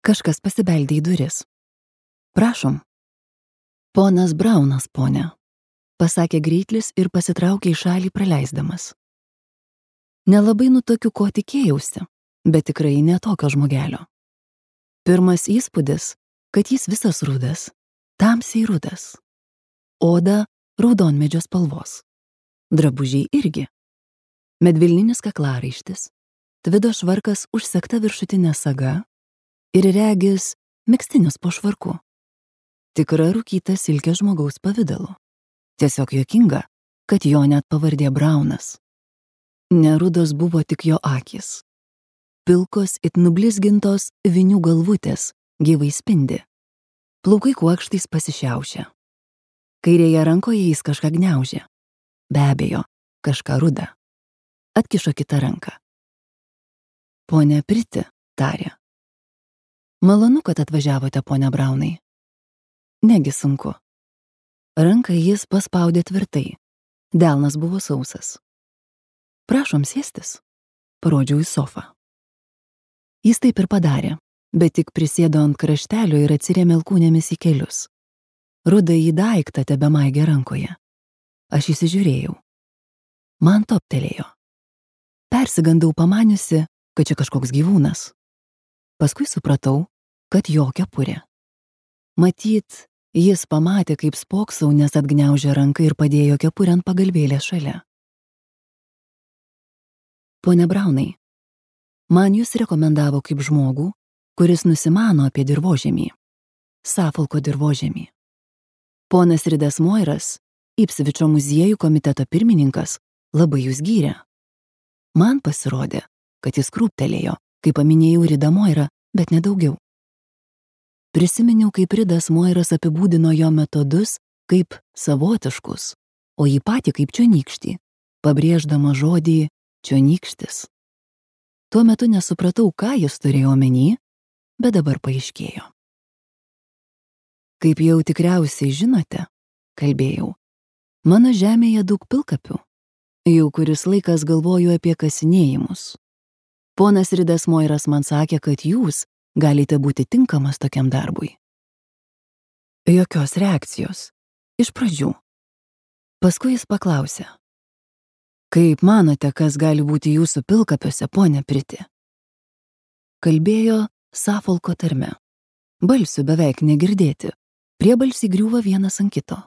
Kažkas pasibeldė į duris. Prašom. Ponas Braunas, ponia, pasakė Greitlis ir pasitraukė į šalį praleisdamas. Nelabai nutokiu, ko tikėjausi, bet tikrai ne tokio žmogelio. Pirmas įspūdis, kad jis visas rudas, tamsiai rudas. Oda raudonmedžio spalvos. Drabužiai irgi. Medvilninis kaklaraištis, tvido švarkas užsegta viršutinė saga ir regis megztinis po švarku. Tikra rūkyta silkė žmogaus pavidalu. Tiesiog juokinga, kad jo net pavardė Braunas. Nerudos buvo tik jo akys. Pilkos it nublizgintos vinių galvutės gyvai spindi. Plaukai kuokštais pasišiaušia. Kairėje rankoje jis kažką gniaužė. Be abejo, kažką rudą. Atkišo kitą ranką. Ponia Priti, tarė. Malonu, kad atvažiavote, ponia Braunai. Negi sunku. Ranką jis paspaudė tvirtai. Delnas buvo sausas. Prašom sėstis. Parodžiau į sofą. Jis taip ir padarė, bet tik prisėdo ant kraštelio ir atsirėmė alkūnėmis į kelius. Ruda į daiktą tebemaigė rankoje. Aš įsižiūrėjau. Man toptelėjo. Persigandau pamaniusi, kad čia kažkoks gyvūnas. Paskui supratau, kad jo kepurė. Matyt, jis pamatė, kaip spoksau, nes atgniaužė ranką ir padėjo kepurę ant pagalvėlės šalia. Pone Braunai, man jūs rekomendavo kaip žmogų, kuris nusimano apie dirvožemį. Suffolko dirvožemį. Ponas Ridas Moiras, Ipsvičio muziejų komiteto pirmininkas, labai jūs gyrė. Man pasirodė, kad jis krūptelėjo, kai paminėjau Ridą Moirą, bet nedaugiau. Prisiminiau, kaip Ridas Moiras apibūdino jo metodus kaip savotiškus, o jį patį kaip čionykštį, pabrėždama žodį čionykštis. Tuo metu nesupratau, ką jis turėjo omeny, bet dabar paaiškėjo. Kaip jau tikriausiai žinote, kalbėjau, mano žemėje daug pilkapių. Jau kuris laikas galvoju apie kasinėjimus. Ponas Ridas Moiras man sakė, kad jūs galite būti tinkamas tokiam darbui. Jokios reakcijos. Iš pradžių. Paskui jis paklausė. Kaip manote, kas gali būti jūsų pilkapiuose, ponia Priti? Kalbėjo Suffolko tarme. Balsių beveik negirdėti. Priebalsiai griūva vienas ant kito.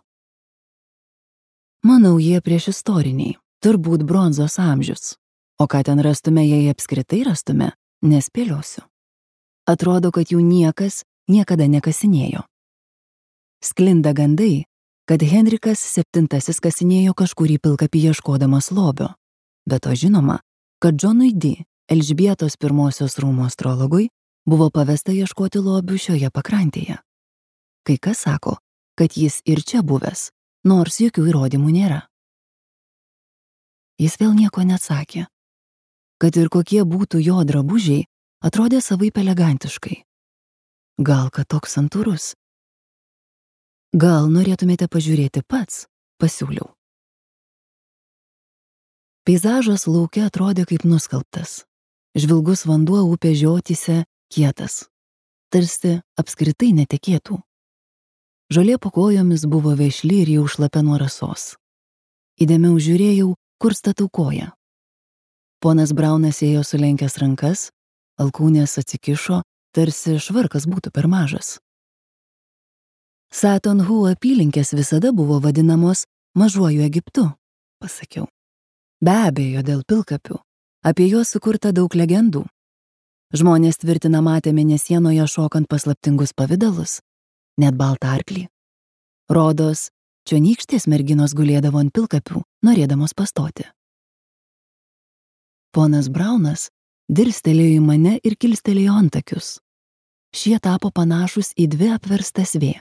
Manau, jie priešistoriniai. Turbūt bronzos amžius. O ką ten rastume, jei apskritai rastume, nespėliosiu. Atrodo, kad jų niekas niekada nekasinėjo. Sklinda gandai, kad Henrikas VII kasinėjo kažkurį pilkapį ieškodamas lobio. Bet to žinoma, kad Džonui D. Elžbietos I rūmų astrologui buvo pavesta ieškoti lobių šioje pakrantėje. Kai kas sako, kad jis ir čia buvęs, nors jokių įrodymų nėra. Jis vėl nieko neatsakė. Kad ir kokie būtų jo drabužiai, atrodė savaip elegantiškai. Gal kad toks santūrus? Gal norėtumėte pažiūrėti pats, pasiūliau. Peizažas lauke atrodė kaip nuskalbtas. Žvilgus vanduo upė žiotyse kietas. Tarsi apskritai netekėtų. Žolė po kojomis buvo vešli ir jau šlapia nuo rasos. Įdėmiau žiūrėjau, kur statau koją. Ponas Braunas ėjo sulenkęs rankas, alkūnės atsikišo, tarsi švarkas būtų per mažas. Satonhu apylinkės visada buvo vadinamos mažuoju Egiptu, pasakiau. Be abejo, dėl pilkapių. Apie juos sukurta daug legendų. Žmonės tvirtina matę mėnesienoje šokant paslaptingus pavidalus, net baltą arklį. Rodos, čionykštės merginos gulėdavo ant pilkapių, norėdamos pastoti. Ponas Braunas dirstelėjo į mane ir kilstelėjo antakius. Šie tapo panašus į dvi apverstas V.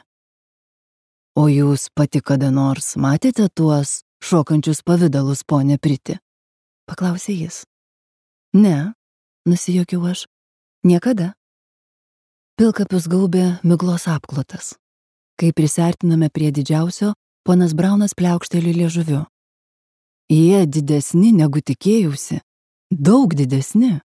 O jūs pati kada nors matėte tuos šokančius pavidalus, ponia Priti? Paklausė jis. Ne, nusijuokiau aš. Niekada. Pilkapius gaubė miglos apklotas. Kai prisiartiname prie didžiausio, ponas Braunas pliaukšteli liežuviu. Jie didesni negu tikėjausi. Daug didesni.